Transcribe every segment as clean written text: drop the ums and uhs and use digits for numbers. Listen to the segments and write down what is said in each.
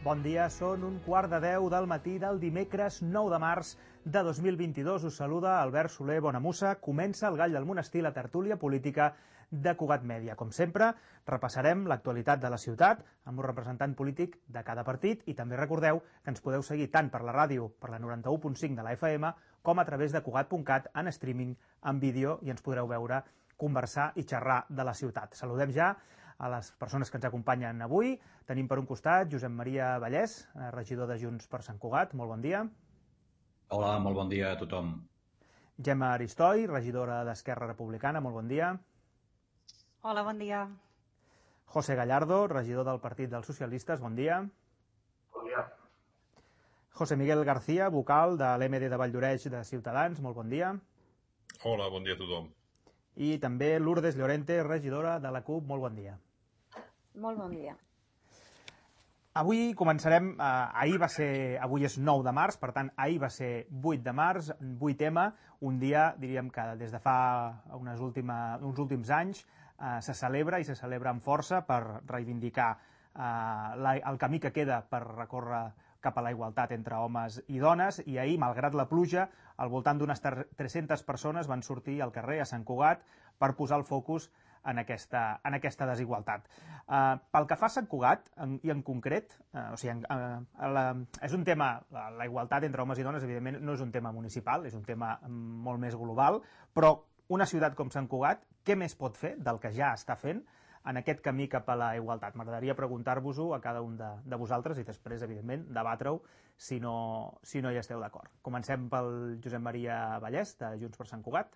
Bon dia, són 9:15 del matí del dimecres 9 de març de 2022. Us saluda Albert Soler Bonamussa. Comença el Gall del Monestir, la tertúlia política de Cugat Mèdia. Com sempre, repassarem l'actualitat de la ciutat amb un representant polític de cada partit i també recordeu que ens podeu seguir tant per la ràdio, per la 91.5 de la FM, com a través de Cugat.cat en streaming, en vídeo, i ens podreu veure, conversar i xerrar de la ciutat. Saludem ja a les persones que ens acompanyen avui. Tenim per un costat Josep Maria Vallès, regidor de Junts per Sant Cugat. Molt bon dia. Hola, molt bon dia a tothom. Gemma Aristoi, regidora d'Esquerra Republicana. Molt bon dia. Hola, bon dia. José Gallardo, regidor del Partit dels Socialistes. Bon dia. Bon dia. José Miguel García, vocal de l'MD de Valldoreix de Ciutadans. Molt bon dia. Hola, bon dia a tothom. I també Lourdes Llorente, regidora de la CUP. Molt bon dia. Molt bon dia. Avui començarem, avui és 9 de març, per tant, ahir va ser 8 de març, 8M, un dia, diríem que des de fa uns últims anys se celebra i se celebra amb força per reivindicar el camí que queda per recórrer cap a la igualtat entre homes i dones, i ahir, malgrat la pluja, al voltant d'unes 300 persones van sortir al carrer a Sant Cugat per posar el focus en aquesta desigualtat. Pel que fa a Sant Cugat, i en concret, és un tema, la igualtat entre homes i dones, evidentment, no és un tema municipal, és un tema molt més global, però una ciutat com Sant Cugat, què més pot fer del que ja està fent en aquest camí cap a la igualtat? M'agradaria preguntar-vos-ho a cada un de vosaltres i després, evidentment, debatre-ho si no hi esteu d'acord. Comencem pel Josep Maria Vallès, de Junts per Sant Cugat.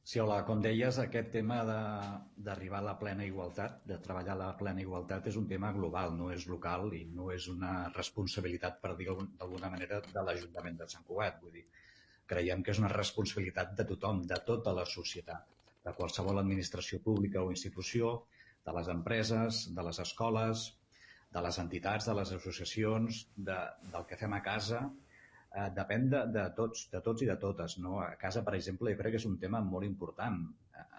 Sí, hola. Com deies, aquest tema d'arribar a la plena igualtat, de treballar a la plena igualtat, és un tema global, no és local i no és una responsabilitat, per dir-ho d'alguna manera, de l'Ajuntament de Sant Cugat. Vull dir, creiem que és una responsabilitat de tothom, de tota la societat, de qualsevol administració pública o institució, de les empreses, de les escoles, de les entitats, de les associacions, del que fem a casa. Depèn de tots i de totes, no? A casa, per exemple, jo crec que és un tema molt important.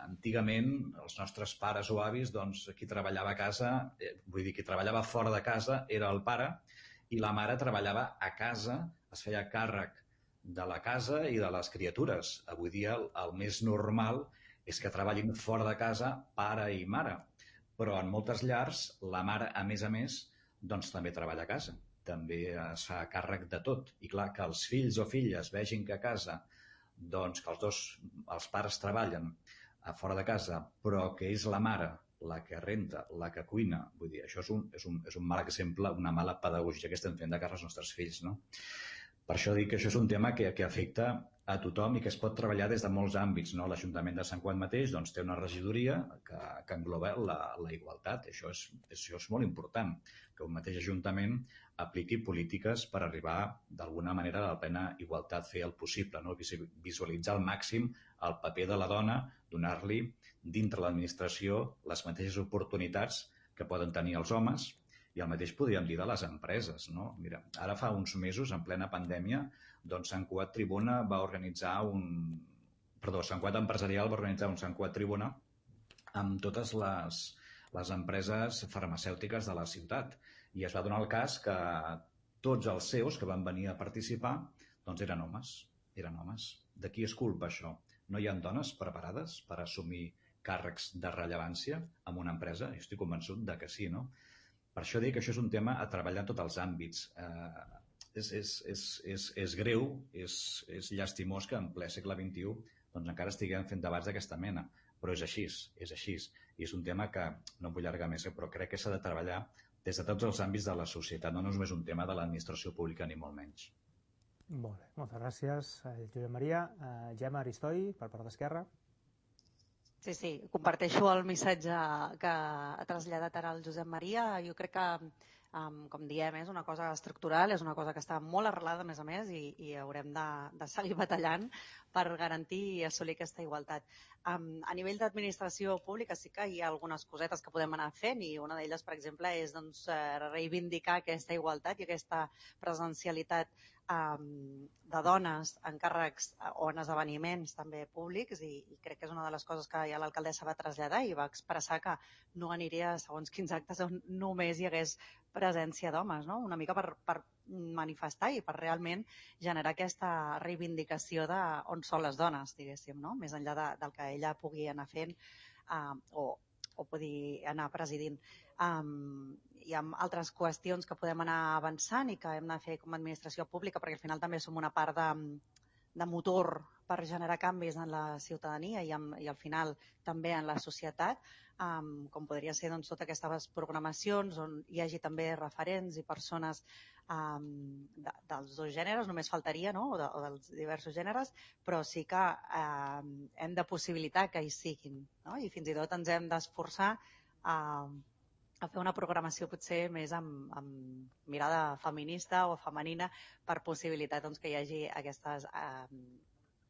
Antigament, els nostres pares o avis, doncs, qui treballava a casa, qui treballava fora de casa era el pare, i la mare treballava a casa, es feia càrrec de la casa i de les criatures. Avui dia el més normal és que treballin fora de casa pare i mare, però en moltes llars la mare, a més, doncs també treballa a casa, també es fa càrrec de tot. I clar, que els fills o filles vegin que a casa, doncs que els pares treballen a fora de casa, però que és la mare la que renta, la que cuina, vull dir, això és un mal exemple, una mala pedagogia que estem fent de cara als nostres fills, no? Per això dic que això és un tema que afecta a tothom i que es pot treballar des de molts àmbits, no? L'Ajuntament de Sant Cugat mateix doncs, té una regidoria que engloba la igualtat. Això és molt important, que un mateix Ajuntament apliqui polítiques per arribar d'alguna manera a la plena igualtat, fer el possible, no? Visualitzar al màxim el paper de la dona, donar-li dintre l'administració les mateixes oportunitats que poden tenir els homes. I el mateix podríem dir de les empreses, no? Mira, ara fa uns mesos, en plena pandèmia, doncs Sant Cugat Tribuna va organitzar Sant Cugat Empresarial va organitzar un Sant Cugat Tribuna amb totes les empreses farmacèutiques de la ciutat. I es va donar el cas que tots els CEOs que van venir a participar doncs eren homes. De qui és culpa això? No hi ha dones preparades per assumir càrrecs de rellevància en una empresa? Jo estic convençut de que sí, no? Per això dic que això és un tema a treballar en tots els àmbits. És greu, és llastimós que en ple segle XXI doncs encara estiguem fent debats d'aquesta mena, però és així. I és un tema que no em vull allargar més, però crec que s'ha de treballar des de tots els àmbits de la societat, no és només un tema de l'administració pública, ni molt menys. Molt bé, moltes gràcies, Josep Maria. Gemma Aristoi, per part d'Esquerra. Sí, comparteixo el missatge que ha traslladat ara el Josep Maria. Jo crec que, com diem, és una cosa estructural, és una cosa que està molt arrelada, a més, i haurem de seguir batallant per garantir i assolir aquesta igualtat. A nivell d'administració pública sí que hi ha algunes cosetes que podem anar fent, i una d'elles, per exemple, és reivindicar aquesta igualtat i aquesta presencialitat de dones en càrrecs o en esdeveniments també públics i crec que és una de les coses que ja l'alcaldessa va traslladar i va expressar que no aniria a segons quins actes on només hi hagués presència d'homes, no? Una mica per manifestar i per realment generar aquesta reivindicació d'on són les dones, diguéssim, no? Més enllà del que ella pugui anar fent o pugui anar presidint. Hi ha altres qüestions que podem anar avançant i que hem de fer com a administració pública, perquè al final també som una part de motor per generar canvis en la ciutadania i al final també en la societat, com podria ser doncs, totes aquestes programacions on hi hagi també referents i persones dels dos gèneres, només faltaria, no? o dels diversos gèneres, però sí que hem de possibilitar que hi siguin, no? I fins i tot ens hem d'esforçar a fer una programació potser més amb mirada feminista o femenina per possibilitar doncs, que hi hagi aquestes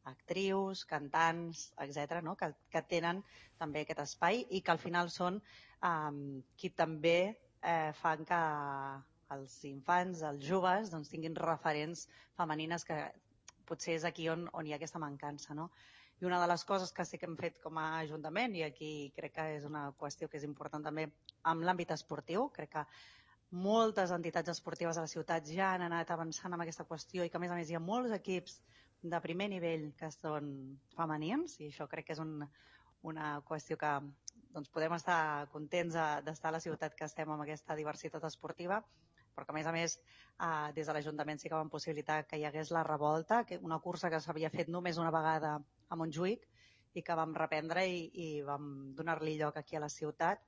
actrius, cantants, etc., no? que tenen també aquest espai i que al final són qui també fan que els infants, els joves, doncs, tinguin referents femenines que potser és aquí on hi ha aquesta mancança, no? I una de les coses que sí que hem fet com a Ajuntament, i aquí crec que és una qüestió que és important també en l'àmbit esportiu, crec que moltes entitats esportives a la ciutat ja han anat avançant en aquesta qüestió i que a més hi ha molts equips de primer nivell que són femenins i això crec que és una qüestió que doncs, podem estar contents d'estar a la ciutat que estem amb aquesta diversitat esportiva, però que a més des de l'Ajuntament sí que vam possibilitar que hi hagués la revolta, una cursa que s'havia fet només una vegada a Montjuïc i que vam reprendre i vam donar-li lloc aquí a la ciutat,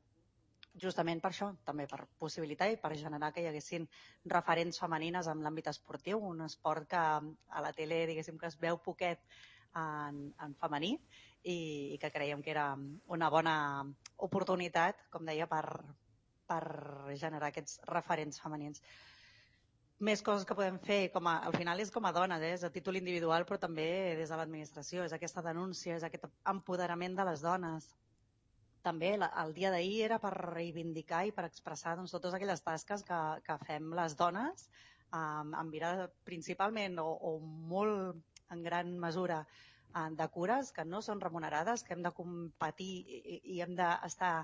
justament per això, també per possibilitar i per generar que hi haguessin referents femenines en l'àmbit esportiu, un esport que a la tele diguéssim que es veu poquet en femení i que creiem que era una bona oportunitat, com deia, per generar aquests referents femenins. Més coses que podem fer, al final és com a dones, és a títol individual, però també des de l'administració, és aquesta denúncia, és aquest empoderament de les dones. També el dia d'ahir era per reivindicar i per expressar doncs, totes aquelles tasques que fem les dones, amb mirada principalment o molt en gran mesura de cures que no són remunerades, que hem de competir i hem d'estar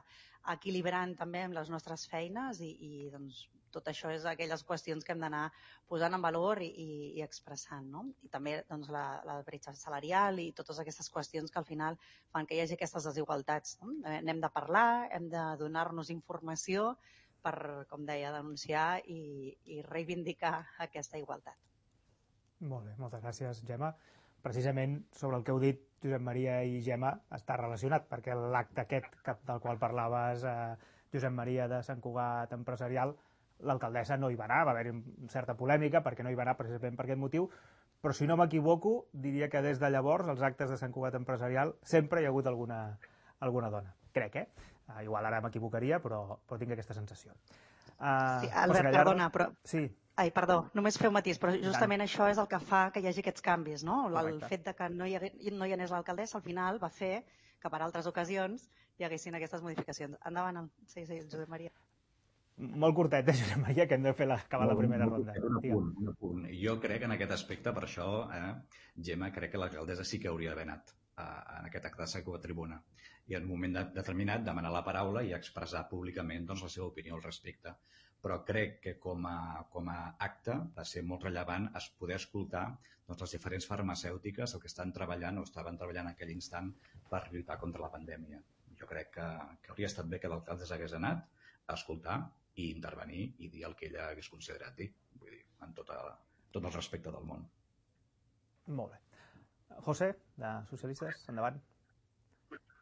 equilibrant també amb les nostres feines i doncs, tot això és aquelles qüestions que hem d'anar posant en valor i expressant, no? I també doncs, la bretxa salarial i totes aquestes qüestions que al final fan que hi hagi aquestes desigualtats, no? N'hem de parlar, hem de donar-nos informació per, com deia, denunciar i reivindicar aquesta igualtat. Molt bé, moltes gràcies, Gemma. Precisament sobre el que heu dit Josep Maria i Gemma està relacionat, perquè l'acte aquest del qual parlaves, Josep Maria, de Sant Cugat Empresarial, l'alcaldessa no hi va anar, va haver-hi certa polèmica perquè no hi va anar precisament per aquest motiu, però si no m'equivoco diria que des de llavors als actes de Sant Cugat Empresarial sempre hi ha hagut alguna dona, crec, igual ara m'equivocaria, però tinc aquesta sensació. Sí, Albert, perdona, però... Sí. Ai, perdó, només fer un matís, però justament això és el que fa que hi hagi aquests canvis, no? Correcte. El fet de que no hi anés l'alcaldessa al final va fer que per altres ocasions hi haguessin aquestes modificacions. Endavant, sí, Josep Maria. Molt curtet, Josep Maria, que hem de fer acabar la primera ronda. Un apunt. Jo crec que en aquest aspecte, per això, Gemma, crec que l'alcaldessa sí que hauria d'haver anat en aquest acte de Sacó a tribuna i en un moment determinat demanar la paraula i expressar públicament doncs, la seva opinió al respecte. Però crec que com a acte va ser molt rellevant poder escoltar doncs, les diferents farmacèutiques el que estan treballant o estaven treballant en aquell instant per lluitar contra la pandèmia. Jo crec que hauria estat bé que l'alcalde s'hagués anat a escoltar i intervenir i dir el que ella hagués considerat dir, vull dir, amb tot el respecte del món. Molt bé. José, de Socialistes, endavant.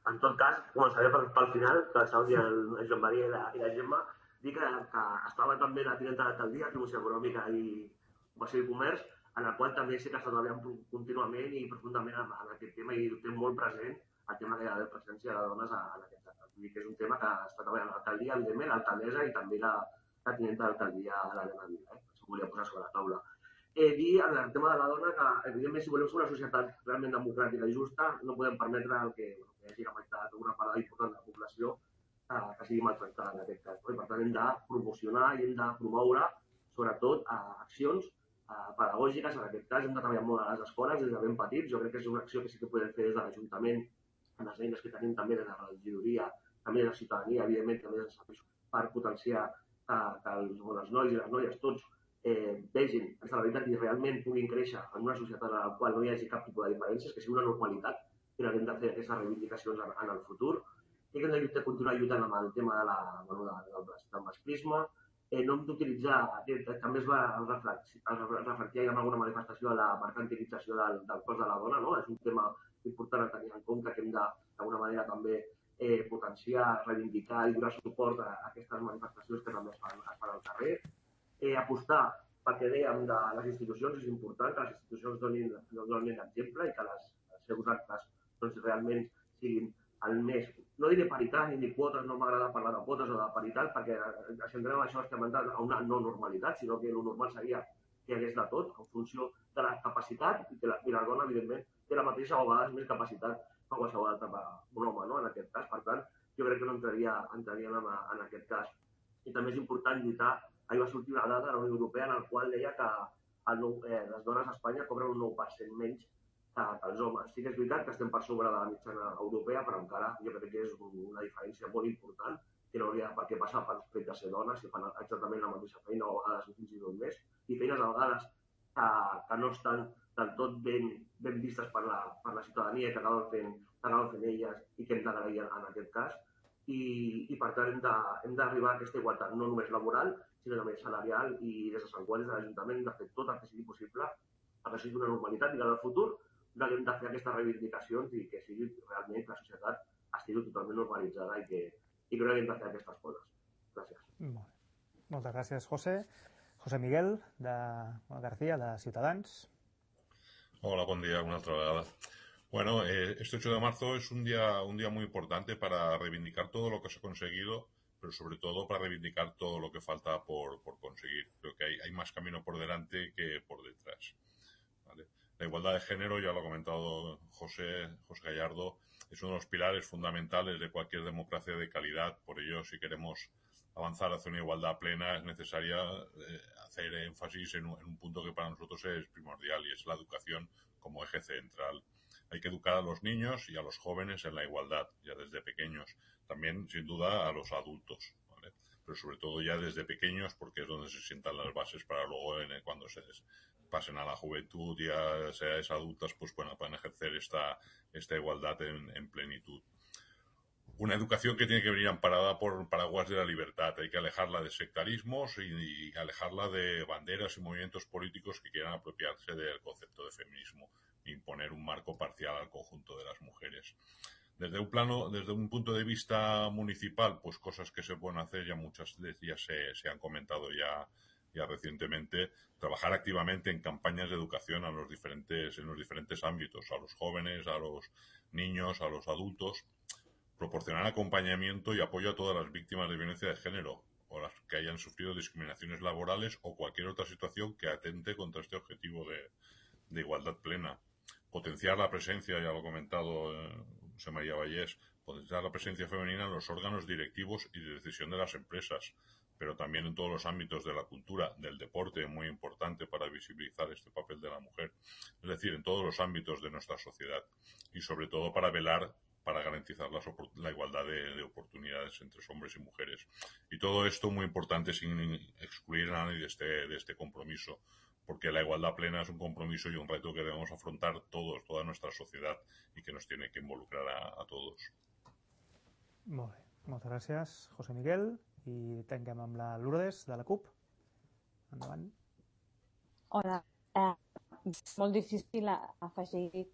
En tot cas, començaré pel final, que saludi el Joan Maria i la Gemma. Dir que estava també la tinenta d'alcaldia, Promoció Econòmica i Ocupació i Comerç, en el qual també sí que està treballant contínuament i profundament en aquest tema i ho té molt present el tema que hi ha de presència de dones en aquest acte. Vull dir que és un tema que està treballant l'alcaldia, evidentment, l'alcaldessa i també la tinenta d'alcaldia, l'Helena Vila. Això ho volia posar sobre la taula. Dir en el tema de la dona que, evidentment, si volem ser una societat realment democràtica i justa, no podem permetre que hi hagi la meitat d'una part important de la població que sigui maltractada en aquest cas. I per tant hem de promocionar i hem de promoure sobretot accions pedagògiques. En aquest cas hem de treballar molt a les escoles des de ben petits. Jo crec que és una acció que sí que podem fer des de l'Ajuntament, amb les eines que tenim també des de la regidoria, també de la ciutadania, evidentment, també des de serveis per potenciar que els nois i les noies tots vegin aquesta realitat i realment puguin créixer en una societat en la qual no hi hagi cap tipus de diferències, que sigui una normalitat, i hem de fer aquestes reivindicacions en el futur. I que hem de continuar lluitant amb el tema del masclisme. No hem d'utilitzar, també es va reflectir en alguna manifestació la mercantilització del cos de la dona, no? És un tema important a tenir en compte, que hem d'alguna manera també potenciar, reivindicar i donar suport a aquestes manifestacions que també es fan al carrer. Apostar perquè dèiem de les institucions, és important que les institucions donin exemple i que els seus actes realment siguin el més, no diré paritat ni quotes, no m'agrada parlar de quotes o de paritat, perquè si entrem en això estem entrant a una no normalitat, sinó que el normal seria que hi hagués de tot, en funció de la capacitat, i la dona, evidentment, té la mateixa o a vegades més capacitat que qualsevol altre un home, no? En aquest cas. Per tant, jo crec que no entraríem en aquest cas. I també és important lluitar. Ahir va sortir una dada de la Unió Europea en la qual deia que les dones a Espanya cobren un 9% menys que els homes. Sí que és veritat que estem per sobre de la mitjana europea, però encara jo crec que és una diferència molt important, que no hauria per què passar pel fet de ser dones, si fan exactament la mateixa feina o a vegades fins i tot més, i feines a vegades que no estan del tot ben vistes per la ciutadania, que acaben fent elles i que hem d'agrair en aquest cas. I per tant hem d'arribar a aquesta igualtat, no només laboral, sinó també salarial, i des de Sant Qual, des de l'Ajuntament, hem de fer tot el que sigui possible perquè sigui una normalitat i que en el futur hem de fer aquestes reivindicacions i que sigui realment que la societat estigui totalment normalitzada i que no hem de fer aquestes coses. Gràcies. Moltes gràcies, José. José Miguel García, de Ciutadans. Hola, buen día, una otra vegada. Bueno, este 8 de marzo es un día muy importante para reivindicar todo lo que se ha conseguido, pero sobre todo para reivindicar todo lo que falta por conseguir. Creo que hay más camino por delante que por detrás. ¿Vale? La igualdad de género, ya lo ha comentado José Gallardo, es uno de los pilares fundamentales de cualquier democracia de calidad. Por ello, si queremos avanzar hacia una igualdad plena, es necesaria hacer énfasis en un punto que para nosotros es primordial, y es la educación como eje central. Hay que educar a los niños y a los jóvenes en la igualdad, ya desde pequeños. También, sin duda, a los adultos, ¿vale? Pero sobre todo ya desde pequeños, porque es donde se sientan las bases para luego, cuando se pasen a la juventud, ya sean adultas, pues puedan ejercer esta igualdad en plenitud. Una educación que tiene que venir amparada por paraguas de la libertad. Hay que alejarla de sectarismos y alejarla de banderas y movimientos políticos que quieran apropiarse del concepto de feminismo e imponer un marco parcial al conjunto de las mujeres. Desde un punto de vista municipal, pues cosas que se pueden hacer, ya muchas de ellas se han comentado ya recientemente. Trabajar activamente en campañas de educación en los diferentes ámbitos, a los jóvenes, a los niños, a los adultos. Proporcionar acompañamiento y apoyo a todas las víctimas de violencia de género o las que hayan sufrido discriminaciones laborales o cualquier otra situación que atente contra este objetivo de igualdad plena. Potenciar la presencia, ya lo ha comentado José María Vallés, potenciar la presencia femenina en los órganos directivos y de decisión de las empresas, pero también en todos los ámbitos de la cultura, del deporte, muy importante para visibilizar este papel de la mujer. Es decir, en todos los ámbitos de nuestra sociedad, y sobre todo para velar para garantizar la igualdad de oportunidades entre hombres y mujeres. Y todo esto muy importante sin excluir a nadie de este compromiso, porque la igualdad plena es un compromiso y un reto que debemos afrontar todos, toda nuestra sociedad, y que nos tiene que involucrar a todos. Molt bé. Moltes gràcies, José Miguel. I tanquem amb la Lourdes, de la CUP. Endavant. Hola. Molt difícil afegir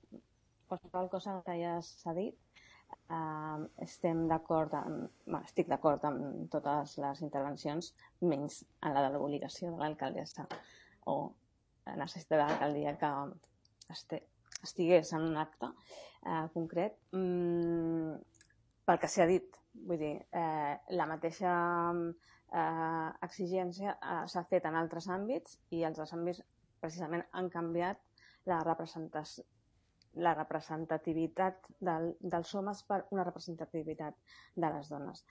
qualsevol cosa que ja s'ha dit. Estic d'acord amb totes les intervencions, menys en la de l'obligació de l'alcaldessa o la necessitat de l'alcaldia que estigués en un acte concret. Pel que s'ha dit, vull dir, la mateixa exigència s'ha fet en altres àmbits, i els altres àmbits precisament han canviat la representació, la representativitat dels homes per una representativitat de les dones.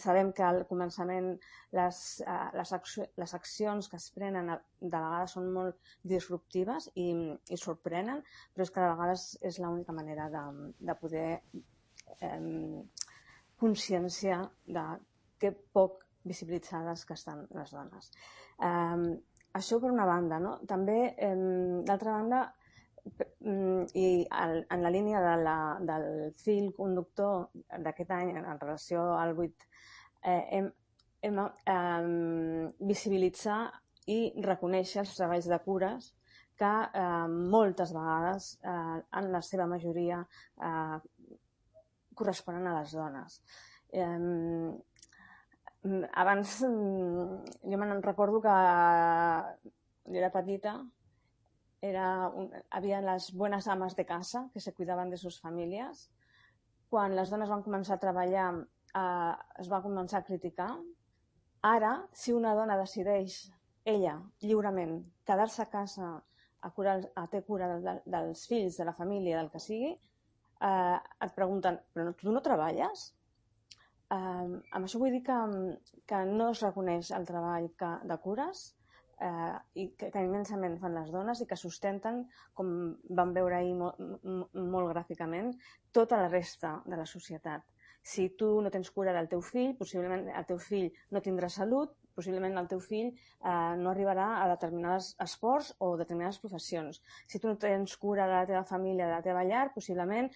Sabem que al començament les accions que es prenen de vegades són molt disruptives i sorprenen, però és que de vegades és l'única manera de poder conscienciar de que poc visibilitzades que estan les dones. Això per una banda, no? També, d'altra banda, i en la línia del fil conductor d'aquest any en relació al 8, hem visibilitzar i reconèixer els treballs de cures que moltes vegades, en la seva majoria, corresponen a les dones. Abans, jo me'n recordo que jo era petita, había las buenas amas de casa que se cuidaban de sus familias. Quan les dones van començar a treballar, es va començar a criticar. Ara, si una dona decideix, ella, lliurement, quedar-se a casa a ter cura dels fills, de la família, del que sigui, et pregunten, però tu no treballes? Amb això vull dir que no es reconeix el treball de cures i que immensament fan les dones i que sustenten, com vam veure ahir molt gràficament, tota la resta de la societat. Si tu no tens cura del teu fill, possiblement el teu fill no tindrà salut, possiblement el teu fill no arribarà a determinats esports o determinades professions. Si tu no tens cura de la teva família, de la teva llar, possiblement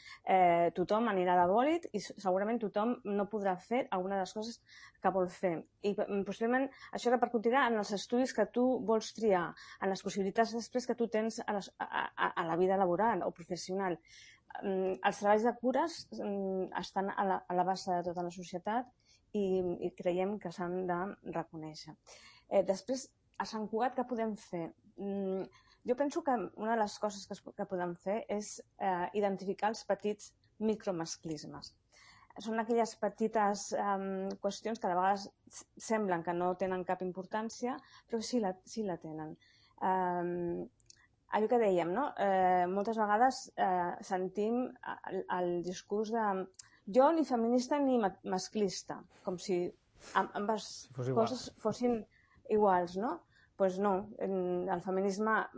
tothom anirà de bòlit i segurament tothom no podrà fer alguna de les coses que vol fer. I possiblement això repercutirà en els estudis que tu vols triar, en les possibilitats després que tu tens a la vida laboral o professional. Els treballs de cures estan a la base de tota la societat i creiem que s'han de reconèixer. Després, a Sant Cugat, què podem fer? Jo penso que una de les coses que podem fer és identificar els petits micromasclismes. Són aquelles petites qüestions que de vegades semblen que no tenen cap importància, però sí la tenen. Allò que dèiem, no? Moltes vegades sentim el discurs de jo ni feminista ni masclista, com si ambes coses fossin iguals, no? Doncs no, el feminisme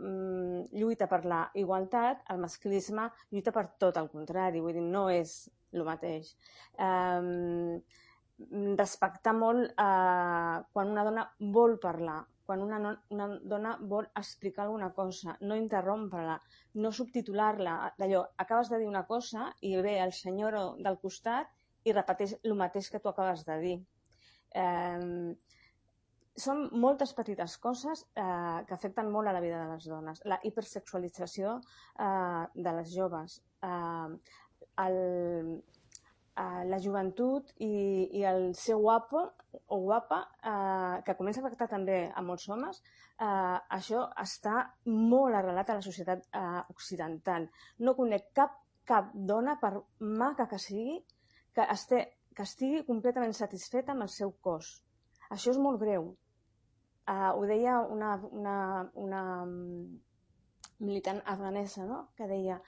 lluita per la igualtat, el masclisme lluita per tot el contrari, vull dir, no és el mateix. Respectar molt quan una dona vol parlar, quan una dona vol explicar alguna cosa, no interrompre-la, no subtitular-la, d'allò, acabes de dir una cosa i ve el senyor del costat i repeteix el mateix que tu acabes de dir. Són moltes petites coses que afecten molt a la vida de les dones. La hipersexualització de les joves, la joventut i el ser guapo o guapa, que comença a afectar també a molts homes, això està molt arrelat a la societat occidental. No conec cap dona, per maca que sigui, que estigui completament satisfeta amb el seu cos. Això és molt greu. Ho deia una militant afganesa, no? Que deia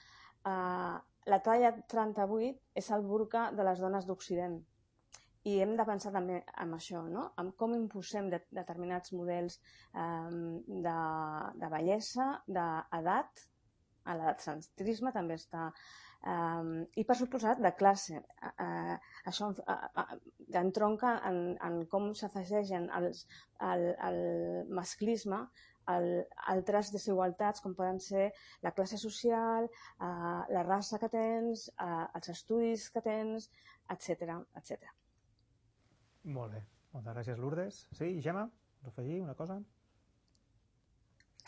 la talla 38 és el burca de les dones d'Occident. I hem de pensar també en això, no? En com imposem determinats models de bellesa, d'edat, l'edadcentrisme també està, i per suposat de classe. Això entronca en com s'afegeixen el masclisme altres desigualtats com poden ser la classe social, la raça que tens, els estudis que tens, etc. Molt bé. Moltes gràcies, Lourdes. Sí, Gemma, vols afegir una cosa?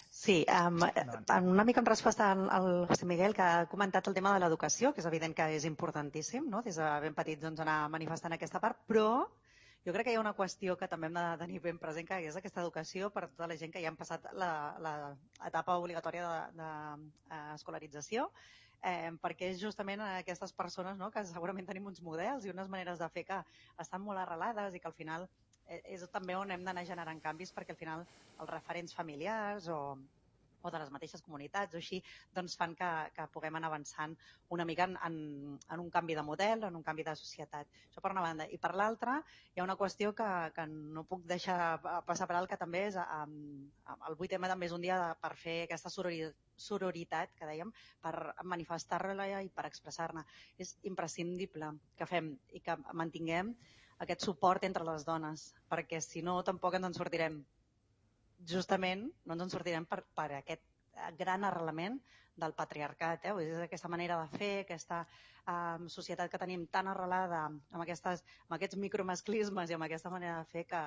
Sí, una mica en resposta al José Miguel, que ha comentat el tema de l'educació, que és evident que és importantíssim, no? Des de ben petits anar manifestant aquesta part, però jo crec que hi ha una qüestió que també hem de tenir ben present, que és aquesta educació per tota la gent que ja han passat l'etapa obligatòria d'escolarització, perquè és justament aquestes persones que segurament tenim uns models i unes maneres de fer que estan molt arrelades i que al final és també on hem d'anar generant canvis, perquè al final els referents familiars o o de les mateixes comunitats o així, doncs fan que puguem anar avançant una mica en un canvi de model, en un canvi de societat. Això per una banda. I per l'altra, hi ha una qüestió que no puc deixar passar per alt, que també és el 8M també és un dia per fer aquesta sororitat, que dèiem, per manifestar-la i per expressar-ne. És imprescindible que fem i que mantinguem aquest suport entre les dones, perquè si no tampoc ens en sortirem. Justament no ens en sortirem per aquest gran arrelament del patriarcat. És aquesta manera de fer, aquesta societat que tenim tan arrelada amb aquests micromasclismes i amb aquesta manera de fer que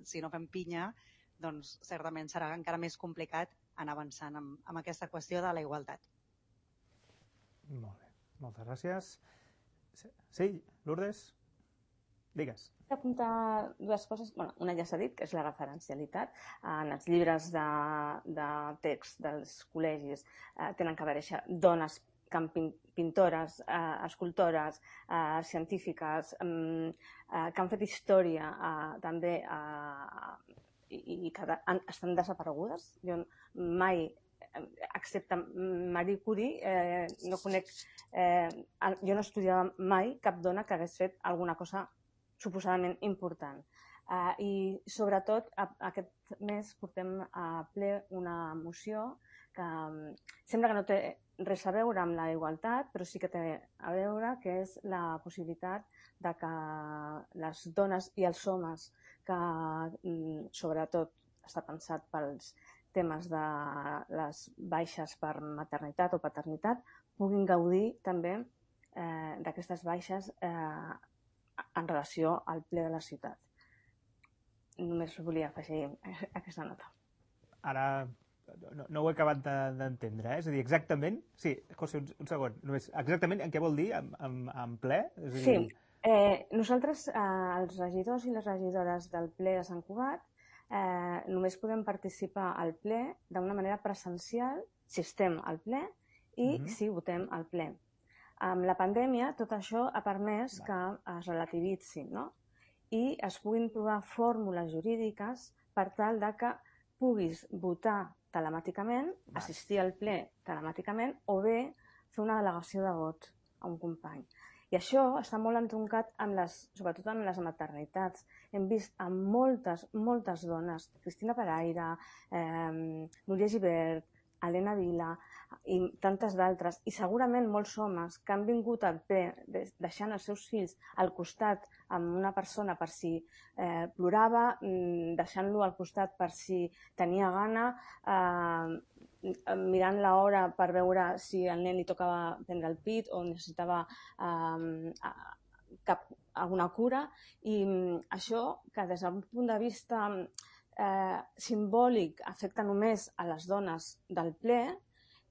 si no fem pinya, doncs certament serà encara més complicat anar avançant amb aquesta qüestió de la igualtat. Molt bé, moltes gràcies. Sí, Lourdes? Digues. Apuntar dues coses. Una ja s'ha dit, que és la referencialitat. En els llibres de text dels col·legis tenen que aparèixer dones pintores, escultores, científiques, que han fet història també i que estan desaparegudes. Jo mai, excepte Marie Curie, no conec, jo no estudiava mai cap dona que hagués fet alguna cosa suposadament important. I sobretot aquest mes portem a ple una moció que sembla que no té res a veure amb la igualtat, però sí que té a veure, que és la possibilitat de que les dones i els homes, que sobretot està pensat pels temes de les baixes per maternitat o paternitat, puguin gaudir també d'aquestes baixes en relació al ple de la ciutat. Només volia afegir aquesta nota. Ara no ho he acabat d'entendre, És a dir, exactament... Sí, José, un segon. Només, exactament què vol dir en ple? Sí, nosaltres, els regidors i les regidores del ple de Sant Cugat, només podem participar al ple d'una manera presencial si estem al ple i si votem al ple. Amb la pandèmia, tot això ha permès que es relativitzin, i es puguin trobar fórmules jurídiques per tal de que puguis votar telemàticament, assistir al ple telemàticament o bé fer una delegació de vot a un company. I això està molt entroncat, sobretot amb les maternitats. Hem vist amb moltes dones, Cristina Paraire, Núria Gibert, Helena Vila i tantes d'altres, i segurament molts homes que han vingut al ple deixant els seus fills al costat amb una persona per si plorava, deixant-lo al costat per si tenia gana, mirant l'hora per veure si al nen li tocava prendre el pit o necessitava alguna cura, i això que des d'un punt de vista simbòlic afecta només a les dones del ple,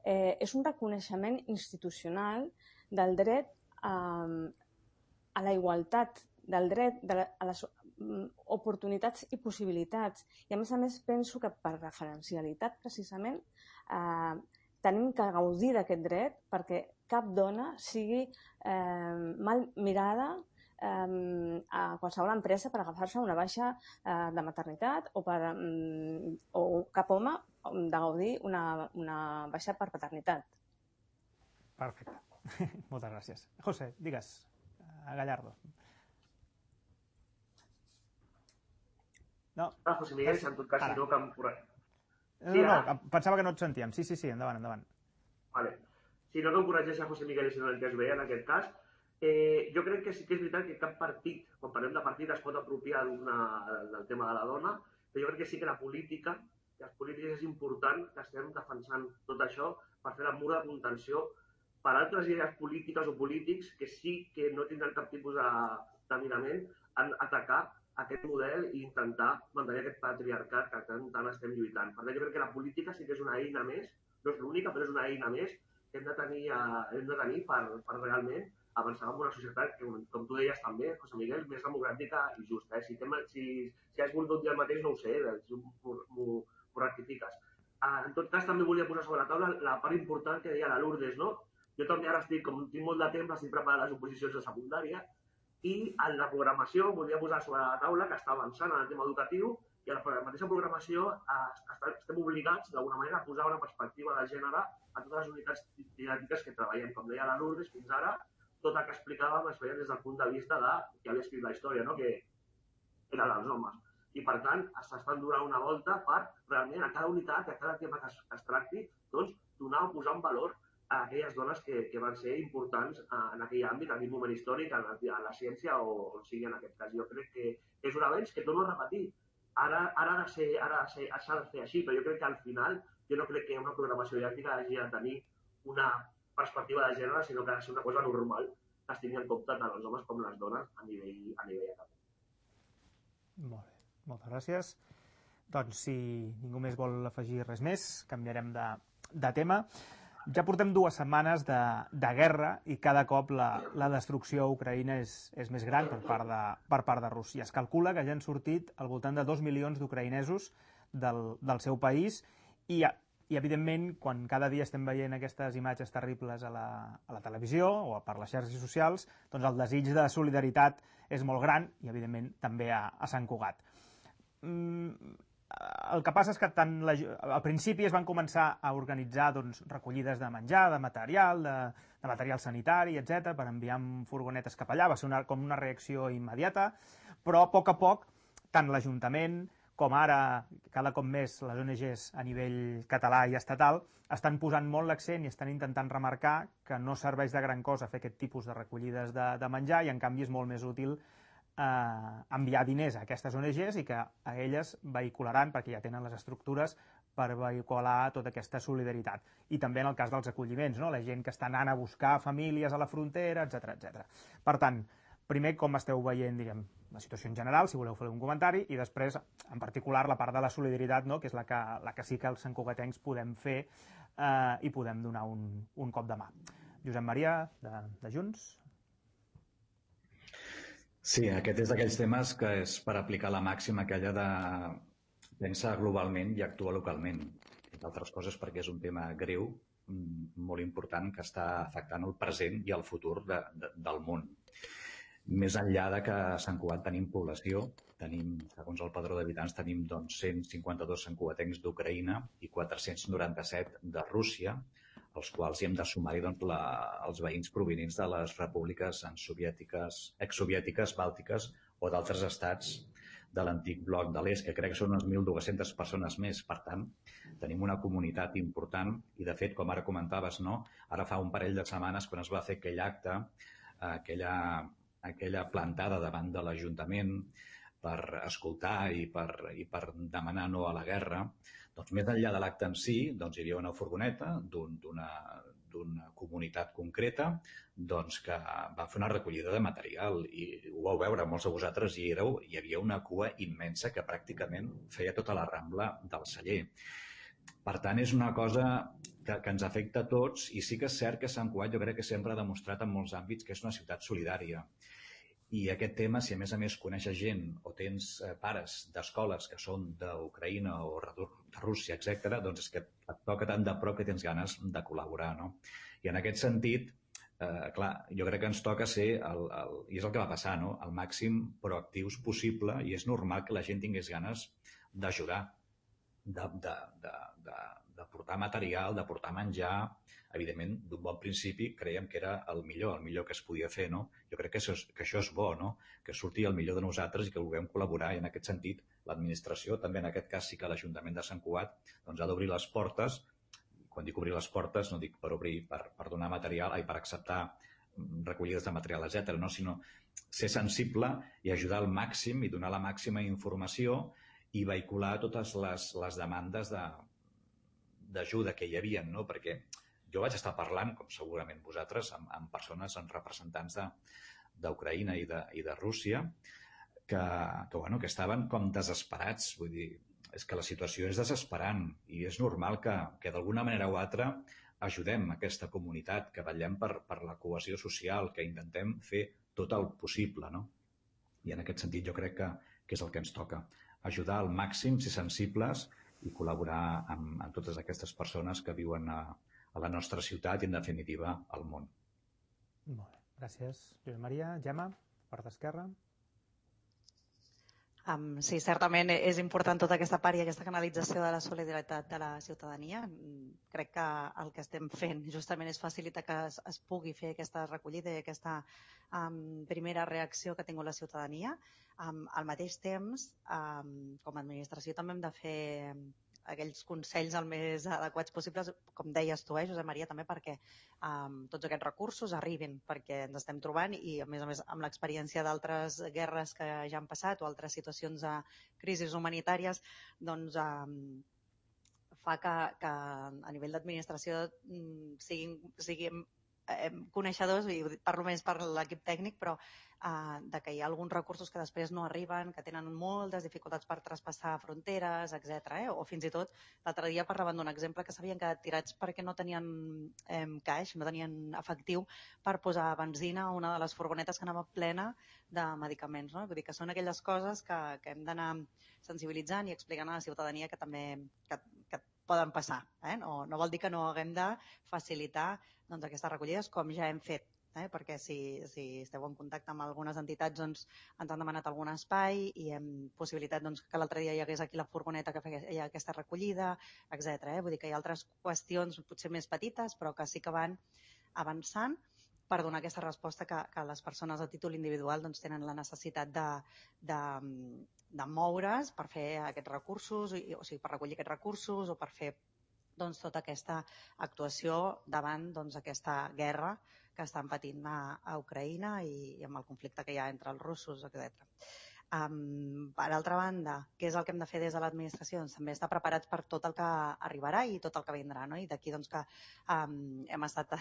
és un reconeixement institucional del dret a la igualtat, del dret a les oportunitats i possibilitats. I a més penso que per referencialitat precisament tenim que gaudir d'aquest dret perquè cap dona sigui mal mirada a qualsevol empresa per agafar-se una baixa de maternitat o cap home de gaudir una baixa per paternitat. Perfecte. Moltes gràcies. José, digues, a Gallardo. No. José Miguel, en tot cas, si no, que em corregeix. No, pensava que no et sentíem. Sí, endavant. Vale. Si no, que em corregeix a José Miguel, si no l'entès bé, en aquest cas. Jo crec que sí que és veritat que cap partit, quan parlem de partit, es pot apropiar del tema de la dona, però jo crec que sí que la política, que els polítics és important que estem defensant tot això per fer la mur de contenció per altres idees polítiques o polítics que sí que no tindran cap tipus de mirament en atacar aquest model i intentar mantenir aquest patriarcat que tant estem lluitant. Per tant, jo crec que la política sí que és una eina més, no és l'única, però és una eina més que hem de tenir per realment avançar en una societat que, com tu deies també, José Miguel, més democràtica i justa. Si has volgut dir el mateix, no ho sé, m'ho rectifiques. En tot cas, també volia posar sobre la taula la part important que deia la Lourdes, no? Jo també ara tinc molt de temps, estic preparant les oposicions de secundària I en la programació volia posar sobre la taula que està avançant en el tema educatiu i a la mateixa programació estem obligats d'alguna manera a posar una perspectiva de gènere a totes les unitats didàctiques que treballem. Com deia la Lourdes, fins ara tot el que explicàvem es feia des del punt de vista de qui havia escrit la història, no? Que eren els homes. I per tant s'estan donant una volta per realment a cada unitat, a cada tema que es tracti, doncs donar o posar en valor a aquelles dones que van ser importants en aquell àmbit, en aquell moment històric, en la ciència o on sigui en aquest cas. Jo crec que és un avenç que torno a repetir. Ara s'ha de fer així, però jo crec que al final jo no crec que una programació didàctica hagi de tenir una perspectiva de gènere, sinó que ha de ser una cosa normal que es tingui en compte tant els homes com les dones a nivell acadèmic. Molt bé, moltes gràcies. Doncs si ningú més vol afegir res més, canviarem de tema. Ja portem 2 setmanes de guerra i cada cop la destrucció a Ucraïna és més gran per part de Rússia. Es calcula que ja han sortit al voltant de 2 milions d'ucraïnesos del seu país i evidentment, quan cada dia estem veient aquestes imatges terribles a la televisió o per les xarxes socials, doncs el desig de solidaritat és molt gran i, evidentment, també a Sant Cugat. El que passa és que al principi es van començar a organitzar recollides de menjar, de material sanitari, etc., per enviar amb furgonetes cap allà. Va ser com una reacció immediata, però a poc, tant l'Ajuntament com ara, cada cop més, les ONGs a nivell català i estatal estan posant molt l'accent i estan intentant remarcar que no serveix de gran cosa fer aquest tipus de recollides de menjar i, en canvi, és molt més útil enviar diners a aquestes ONGs i que a elles vehicularan, perquè ja tenen les estructures per vehicular tota aquesta solidaritat. I també en el cas dels acolliments, no? La gent que està anant a buscar famílies a la frontera, etc. Per tant, primer, com esteu veient, diguem, la situació en general, si voleu fer un comentari, i després, en particular, la part de la solidaritat, no? Que és la que sí que els santcugatencs podem fer i podem donar un cop de mà. Josep Maria, de Junts. Sí, aquest és d'aquells temes que és per aplicar la màxima aquella de pensar globalment i actuar localment. Entre altres coses perquè és un tema greu, molt important, que està afectant el present i el futur del món. Més enllà de que a Sant Cugat tenim població, segons el padró d'habitants, tenim 152 santcugatencs d'Ucraïna i 497 de Rússia, als quals hi hem de sumar-hi els veïns provinents de les repúbliques exsoviètiques, bàltiques o d'altres estats de l'antic bloc de l'est, que crec que són unes 1.200 persones més. Per tant, tenim una comunitat important i, de fet, com ara comentaves, no? Ara fa un parell de setmanes, quan es va fer aquell acte, aquella plantada davant de l'Ajuntament per escoltar i per demanar no a la guerra, doncs més enllà de l'acte en si, doncs hi havia una furgoneta d'una comunitat concreta que va fer una recollida de material i ho vau veure, molts de vosaltres hi éreu, hi havia una cua immensa que pràcticament feia tota la Rambla del Celler. Per tant, és una cosa que ens afecta a tots i sí que és cert que Sant Cugat jo crec que sempre ha demostrat en molts àmbits que és una ciutat solidària. I aquest tema, si a més coneixes gent o tens pares d'escoles que són d'Ucraïna o de Rússia, etc., doncs és que et toca tant de prop que tens ganes de col·laborar, no? I en aquest sentit, clar, jo crec que ens toca ser, i és el que va passar, no? El màxim proactius possible, i és normal que la gent tingués ganes d'ajudar, de portar material, de portar menjar. Evidentment, d'un bon principi creiem que era el millor que es podia fer, no? Jo crec que això és bo, no? Que surti el millor de nosaltres i que vulguem col·laborar, i en aquest sentit l'administració, també en aquest cas sí que l'Ajuntament de Sant Cugat, doncs ha d'obrir les portes. Quan dic obrir les portes no dic per obrir, per donar material, per acceptar recollides de material, etc., no? Sinó ser sensible i ajudar al màxim i donar la màxima informació i vehicular totes les demandes d'ajuda que hi havia, no? Perquè jo vaig estar parlant, com segurament vosaltres, amb persones, amb representants d'Ucraïna i de Rússia, que estaven com desesperats. Vull dir, és que la situació és desesperant i és normal que d'alguna manera o altra ajudem aquesta comunitat, que vetllem per la cohesió social, que intentem fer tot el possible, no? I en aquest sentit jo crec que és el que ens toca. Ajudar al màxim, ser sensibles i col·laborar amb totes aquestes persones que viuen a la nostra ciutat i, en definitiva, al món. Molt bé. Gràcies, Josep Maria. Gemma? part esquerra. Sí, certament és important tota aquesta part i aquesta canalització de la solidaritat de la ciutadania. Crec que el que estem fent justament és facilitar que es pugui fer aquesta recollida i aquesta primera reacció que ha tingut la ciutadania. Al mateix temps, com a administració també hem de fer aquells consells el més adequats possibles, com deies tu, Josep Maria, també perquè tots aquests recursos arribin, perquè ens estem trobant i, a més, amb l'experiència d'altres guerres que ja han passat o altres situacions de crisis humanitàries, doncs fa que a nivell d'administració siguin coneixedors, i parlo més per l'equip tècnic, però de que hi ha alguns recursos que després no arriben, que tenen moltes dificultats per traspassar fronteres, etc. O fins i tot, l'altre dia parlaven d'un exemple que s'havien quedat tirats perquè no tenien caix, no tenien efectiu per posar benzina a una de les furgonetes que anava plena de medicaments. No? Vull dir que són aquelles coses que hem d'anar sensibilitzant i explicant a la ciutadania que també que poden passar. No vol dir que no haguem de facilitar aquestes recollides com ja hem fet. Perquè si esteu en contacte amb algunes entitats ens han demanat algun espai i hem possibilitat que l'altre dia hi hagués aquí la furgoneta que feia aquesta recollida, etc. Vull dir que hi ha altres qüestions potser més petites però que sí que van avançant per donar aquesta resposta que les persones a títol individual tenen la necessitat de moure's per fer aquests recursos, o sigui, per recollir aquests recursos o per fer tota aquesta actuació davant aquesta guerra que estan patint a Ucraïna i amb el conflicte que hi ha entre els russos, etc. Per altra banda, què és el que hem de fer des de l'administració? També estar preparats per tot el que arribarà i tot el que vindrà. No? I d'aquí que hem estat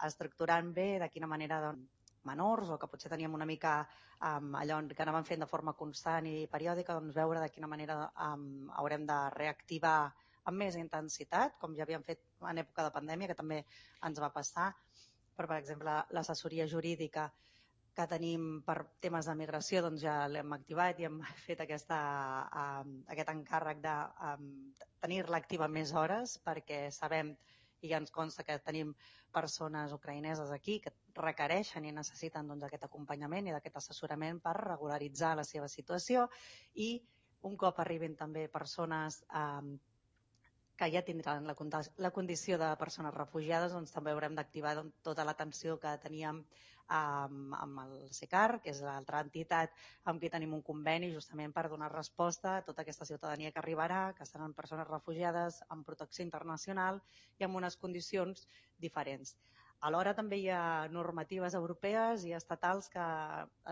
estructurant bé de quina manera menors o que potser teníem una mica allò que anàvem fent de forma constant i periòdica, veure de quina manera haurem de reactivar amb més intensitat, com ja havíem fet en època de pandèmia, que també ens va passar. Però, per exemple, l'assessoria jurídica que tenim per temes de migració ja l'hem activat i hem fet aquest encàrrec de tenir-la activa més hores perquè sabem i ja ens consta que tenim persones ucraïneses aquí que requereixen i necessiten aquest acompanyament i aquest assessorament per regularitzar la seva situació i un cop arribin també persones que ja tindran la condició de persones refugiades, també haurem d'activar tota l'atenció que teníem amb el CECAR, que és l'altra entitat amb qui tenim un conveni justament per donar resposta a tota aquesta ciutadania que arribarà, que seran persones refugiades amb protecció internacional i amb unes condicions diferents. Alhora també hi ha normatives europees i estatals que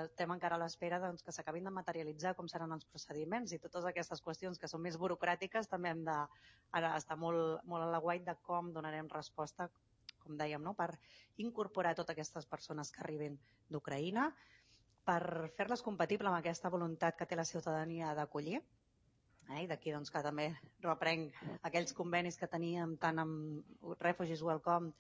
estem encara a l'espera que s'acabin de materialitzar com seran els procediments i totes aquestes qüestions que són més burocràtiques també hem d'estar molt a l'aguait de com donarem resposta, com dèiem, per incorporar totes aquestes persones que arriben d'Ucraïna, per fer-les compatibles amb aquesta voluntat que té la ciutadania d'acollir. I d'aquí que també reprenc aquells convenis que teníem tant amb Refugees Welcome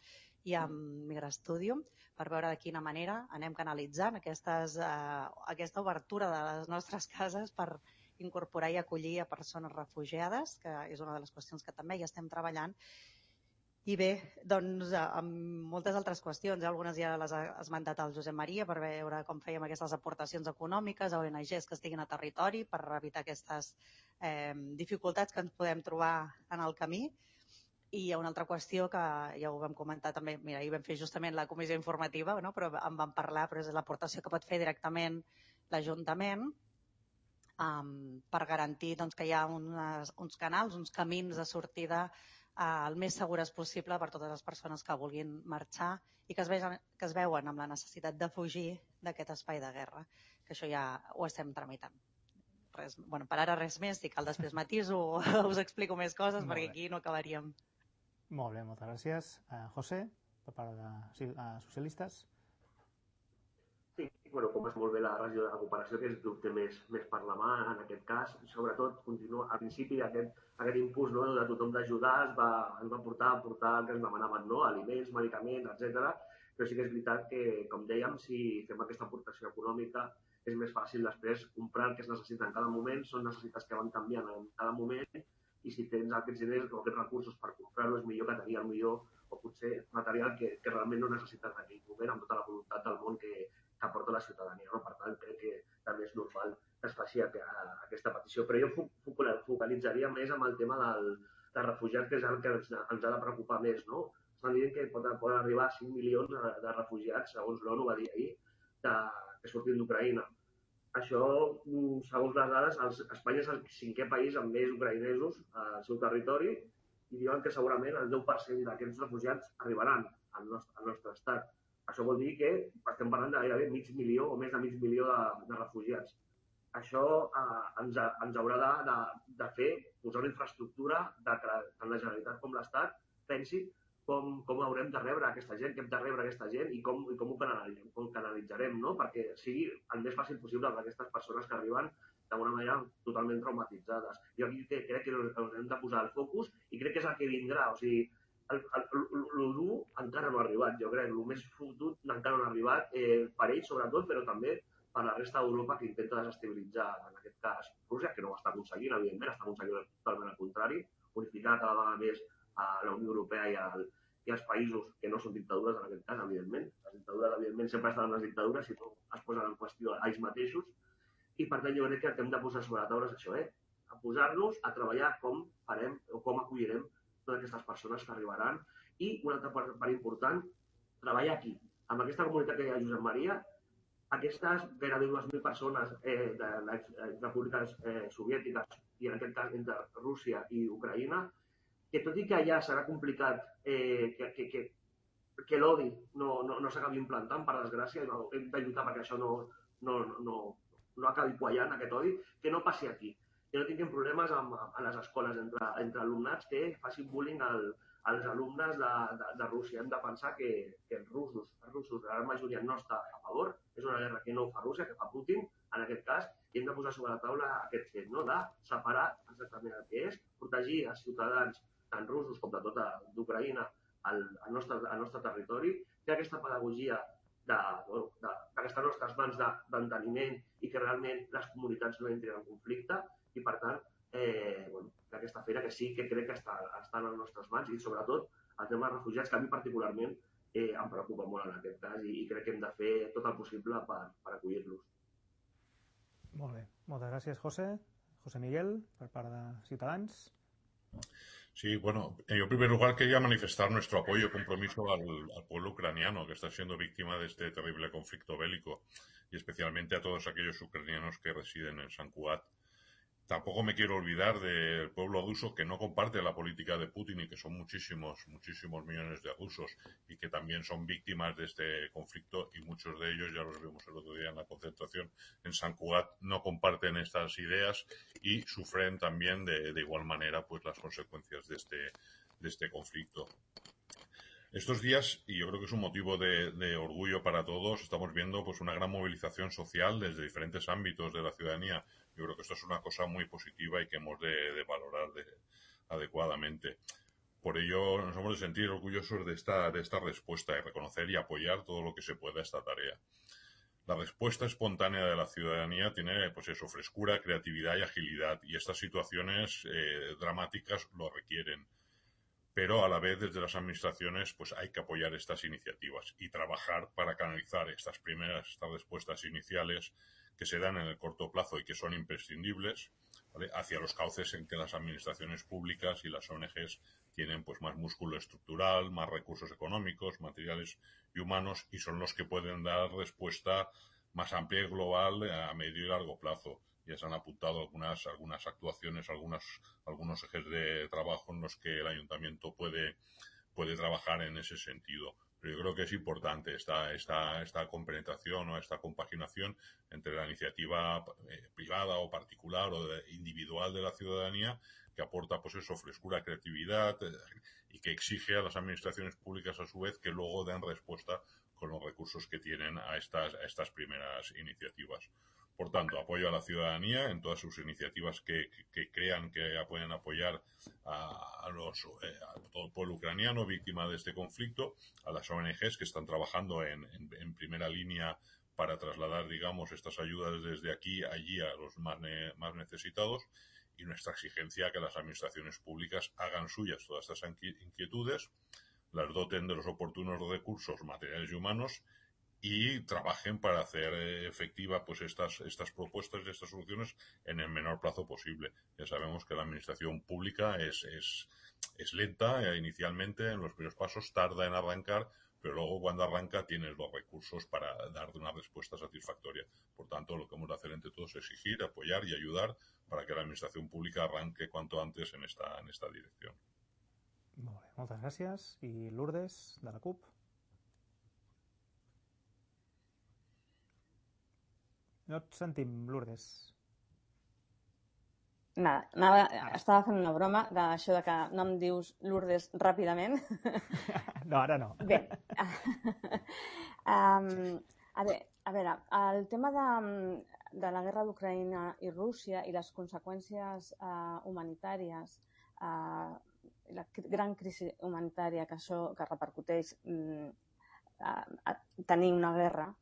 i amb Migrastudium per veure de quina manera anem canalitzant aquesta obertura de les nostres cases per incorporar i acollir a persones refugiades, que és una de les qüestions que també hi estem treballant. I bé, amb moltes altres qüestions, algunes ja les ha esmentat el Josep Maria per veure com fèiem aquestes aportacions econòmiques a ONGs que estiguin a territori per evitar aquestes dificultats que ens podem trobar en el camí. I hi ha una altra qüestió que ja ho vam comentar també, mira, ahir vam fer justament la comissió informativa, però en vam parlar, però és l'aportació que pot fer directament l'Ajuntament per garantir que hi ha uns canals, uns camins de sortida el més segures possible per totes les persones que vulguin marxar i que es veuen amb la necessitat de fugir d'aquest espai de guerra, que això ja ho estem tramitant. Per ara res més, si cal després matiso o us explico més coses perquè aquí no acabaríem. Molt bé, moltes gràcies. José, per part de socialistes. Sí, com és molt bé la regió de recuperació, que és dubte més per la mà en aquest cas. Sobretot, continua al principi aquest impuls de tothom d'ajudar ens va portar a el que ens demanaven, aliments, medicaments, etc. Però sí que és veritat que, com dèiem, si fem aquesta aportació econòmica és més fàcil després comprar el que es necessita en cada moment, són necessitats que van canviant en cada moment i si tens aquests diners o aquests recursos per comprar-ho és millor que tenir el millor o potser material que realment no necessites en aquell moment amb tota la voluntat del món que que aporta la ciutadania. No? Per tant, crec que també és normal que es faci aquesta petició. Però jo focalitzaria més en el tema de refugiats, que és el que ens ha de preocupar més. No? Estan dient que poden arribar a 5 milions de refugiats, segons l'ONU va dir ahir, que surtin d'Ucraïna. Això, segons les dades, Espanya és el 5è país amb més ucraïnesos al seu territori i diuen que segurament el 10% d'aquests refugiats arribaran al nostre estat. Això vol dir que estem parlant de gairebé mig milió o més de mig milió de refugiats. Això ens haurà de fer posar una infraestructura que tant la Generalitat com l'Estat pensi com haurem de rebre aquesta gent, què hem de rebre aquesta gent i com ho canalitzarem, no? Perquè sigui el més fàcil possible per aquestes persones que arriben d'alguna manera totalment traumatitzades. Jo aquí crec que ens hem de posar el focus i crec que és el que vindrà. O sigui, el dur encara no ha arribat, jo crec. El més fotut encara no ha arribat, per ells sobretot, però també per la resta d'Europa que intenta desestabilitzar, en aquest cas, Rússia, que no ho està aconseguint, evidentment, està aconseguint totalment el contrari, unificar cada vegada més a la Unió Europea i als països que no són dictadures, en aquest cas, evidentment. Les dictadures, evidentment, sempre estaran les dictadures si no es posen en qüestió a ells mateixos. I, per tant, jo crec que el que hem de posar sobre la taula és això, a posar-nos a treballar com farem o com acollirem totes aquestes persones que arribaran. I, una altra part important, treballar aquí. Amb aquesta comunitat que hi ha a Josep Maria, aquestes gairebé 2.000 persones de les repúbliques soviètiques i, en aquest cas, entre Rússia i Ucraïna, que tot i que allà serà complicat que l'odi no s'acabi implantant, per desgràcia, hem de lluitar perquè això no acabi quallant aquest odi, que no passi aquí, que no tinguem problemes a les escoles entre alumnats que facin bullying als alumnes de Rússia. Hem de pensar que els russos, la gran majoria no està a favor, és una guerra que no fa Rússia, que fa Putin, en aquest cas, i hem de posar sobre la taula aquest fet, de separar exactament el que és, protegir els ciutadans tant russos com de tota d'Ucraïna al nostre territori, fer aquesta pedagogia que està a les nostres mans d'enteniment i que realment les comunitats no entrin en conflicte i, per tant, aquesta feina que sí que crec que està a les nostres mans i, sobretot, el tema dels refugiats, que a mi particularment em preocupa molt en aquest cas i crec que hem de fer tot el possible per acollir-los. Molt bé. Moltes gràcies, José. José Miguel, per part de Ciutadans. Sí, bueno, yo en primer lugar quería manifestar nuestro apoyo y compromiso al pueblo ucraniano que está siendo víctima de este terrible conflicto bélico y especialmente a todos aquellos ucranianos que residen en Sant Cugat. Tampoco me quiero olvidar del pueblo ruso que no comparte la política de Putin y que son muchísimos millones de rusos y que también son víctimas de este conflicto y muchos de ellos, ya los vimos el otro día en la concentración en Sant Cugat, no comparten estas ideas y sufren también de igual manera pues las consecuencias de este conflicto. Estos días, y yo creo que es un motivo de orgullo para todos, estamos viendo pues una gran movilización social desde diferentes ámbitos de la ciudadanía. Yo creo que esto es una cosa muy positiva y que hemos de valorar adecuadamente. Por ello, nos hemos de sentir orgullosos de esta respuesta y reconocer y apoyar todo lo que se pueda a esta tarea. La respuesta espontánea de la ciudadanía tiene, pues eso, frescura, creatividad y agilidad, y estas situaciones dramáticas lo requieren. Pero a la vez desde las administraciones pues hay que apoyar estas iniciativas y trabajar para canalizar estas respuestas iniciales que se dan en el corto plazo y que son imprescindibles, ¿vale?, hacia los cauces en que las administraciones públicas y las ONGs tienen pues más músculo estructural, más recursos económicos, materiales y humanos, y son los que pueden dar respuesta más amplia y global a medio y largo plazo. Ya se han apuntado algunas actuaciones, algunos ejes de trabajo en los que el ayuntamiento puede trabajar en ese sentido. Pero yo creo que es importante esta compenetración o esta compaginación entre la iniciativa privada o particular o individual de la ciudadanía, que aporta pues eso, frescura, creatividad y que exige a las administraciones públicas a su vez que luego den respuesta con los recursos que tienen a estas primeras iniciativas. Por tanto, apoyo a la ciudadanía en todas sus iniciativas que crean que pueden apoyar a todo el pueblo ucraniano víctima de este conflicto, a las ONGs que están trabajando en primera línea para trasladar, digamos, estas ayudas desde aquí allí a los más necesitados, y nuestra exigencia a que las administraciones públicas hagan suyas todas estas inquietudes, las doten de los oportunos recursos materiales y humanos y trabajen para hacer efectiva pues estas propuestas y estas soluciones en el menor plazo posible. Ya sabemos que la administración pública es lenta inicialmente, en los primeros pasos tarda en arrancar, pero luego cuando arranca tienes los recursos para dar una respuesta satisfactoria. Por tanto, lo que hemos de hacer entre todos es exigir, apoyar y ayudar para que la administración pública arranque cuanto antes en esta dirección. Molt bé, moltes gràcies. I Lourdes, de la CUP? No et sentim, Lourdes. Nada, estava fent una broma d'això de que no em dius Lourdes ràpidament. No, ara no. Bé, a veure, el tema de la guerra d'Ucraïna i Rússia i les conseqüències humanitàries, la gran crisi humanitària que això que repercuteix a tenir una guerra,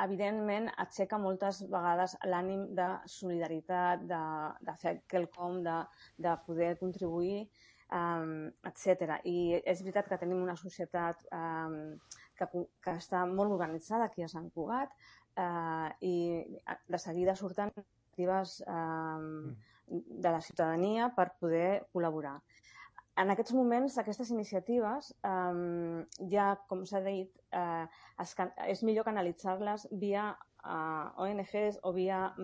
evidentment aixeca moltes vegades l'ànim de solidaritat, de fer quelcom, de poder contribuir, etc. I és veritat que tenim una societat que està molt organitzada aquí a Sant Cugat i de seguida surten iniciatives de la ciutadania per poder col·laborar. En aquests moments, aquestes iniciatives, ja, com s'ha dit, és millor canalitzar-les via ONGs o via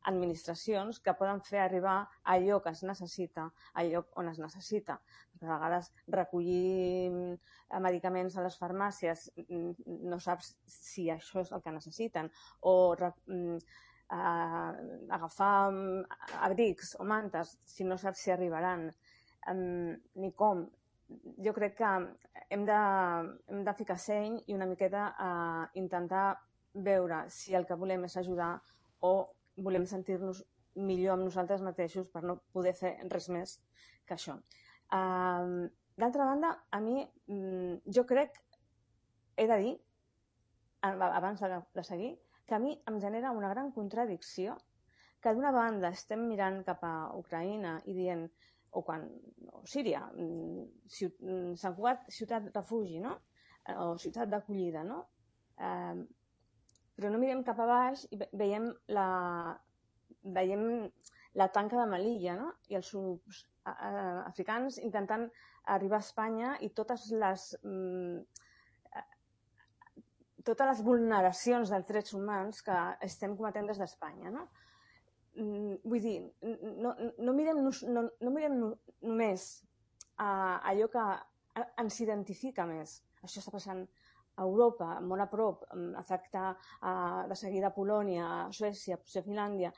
administracions que poden fer arribar allò que es necessita al lloc on es necessita. A vegades recollir medicaments a les farmàcies no saps si això és el que necessiten, o agafar abrics o mantes si no saps si arribaran, ni com. Jo crec que hem de ficar seny i una miqueta intentar veure si el que volem és ajudar o volem sentir-nos millor amb nosaltres mateixos per no poder fer res més que això. D'altra banda, a mi, jo crec, he de dir, abans de seguir, que a mi em genera una gran contradicció que d'una banda estem mirant cap a Ucraïna i dient, o Síria, Sant Cugat, ciutat refugi, no? O ciutat d'acollida, no? Però no mirem cap a baix i veiem la tanca de Melilla, no? I els africans intentant arribar a Espanya i totes les vulneracions dels drets humans que estem cometent des d'Espanya, no? Vull dir, no mirem només allò que ens identifica més. Això està passant a Europa, molt a prop, afecta de seguida a Polònia, a Suècia, potser a Finlàndia.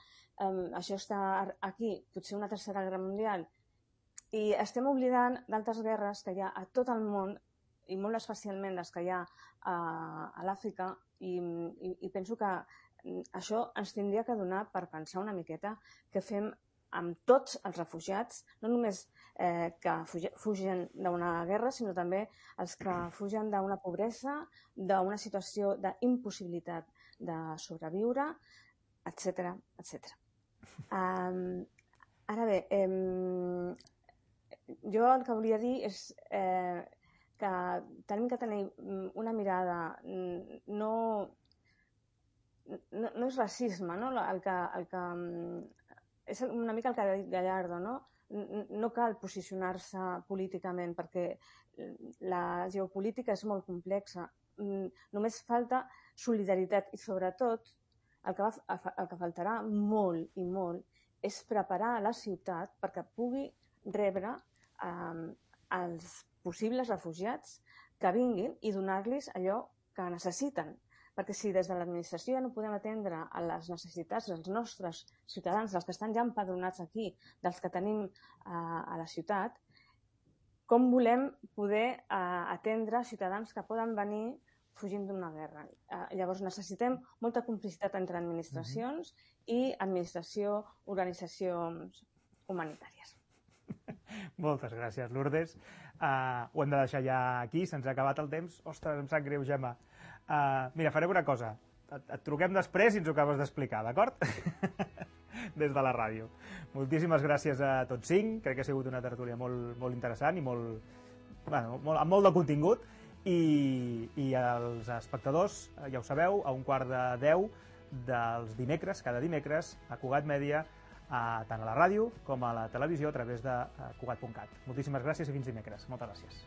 Això està aquí, potser una tercera guerra mundial. I estem oblidant d'altres guerres que hi ha a tot el món, i molt especialment les que hi ha a l'Àfrica, i penso que això ens tindria que donar per pensar una miqueta què fem amb tots els refugiats, no només que fugen d'una guerra, sinó també els que fugen d'una pobresa, d'una situació d'impossibilitat de sobreviure, etc. Ara bé, jo el que volia dir és que tenim que tenir una mirada no és racisme, no? És una mica el que ha dit Gallardo, no? No cal posicionar-se políticament perquè la geopolítica és molt complexa. Només falta solidaritat i, sobretot, el que faltarà molt i molt és preparar la ciutat perquè pugui rebre els possibles refugiats que vinguin i donar-los allò que necessiten. Perquè si des de l'administració ja no podem atendre a les necessitats dels nostres ciutadans, dels que estan ja empadronats aquí, dels que tenim a la ciutat, com volem poder atendre ciutadans que poden venir fugint d'una guerra? Llavors necessitem molta complicitat entre administracions i administració, organitzacions humanitàries. Moltes gràcies, Lourdes. Ho hem de deixar ja aquí, se'ns ha acabat el temps. Ostres, em sap greu, Gemma. Mira, farem una cosa. Et truquem després i ens ho acabes d'explicar, d'acord? Des de la ràdio. Moltíssimes gràcies a tots cinc. Crec que ha sigut una tertúlia molt interessant i amb molt de contingut. i els espectadors, ja ho sabeu, a 11:45 dels dimecres, cada dimecres, a Cugat Mèdia, tant a la ràdio com a la televisió a través de Cugat.cat. Moltíssimes gràcies i fins dimecres. Moltes gràcies.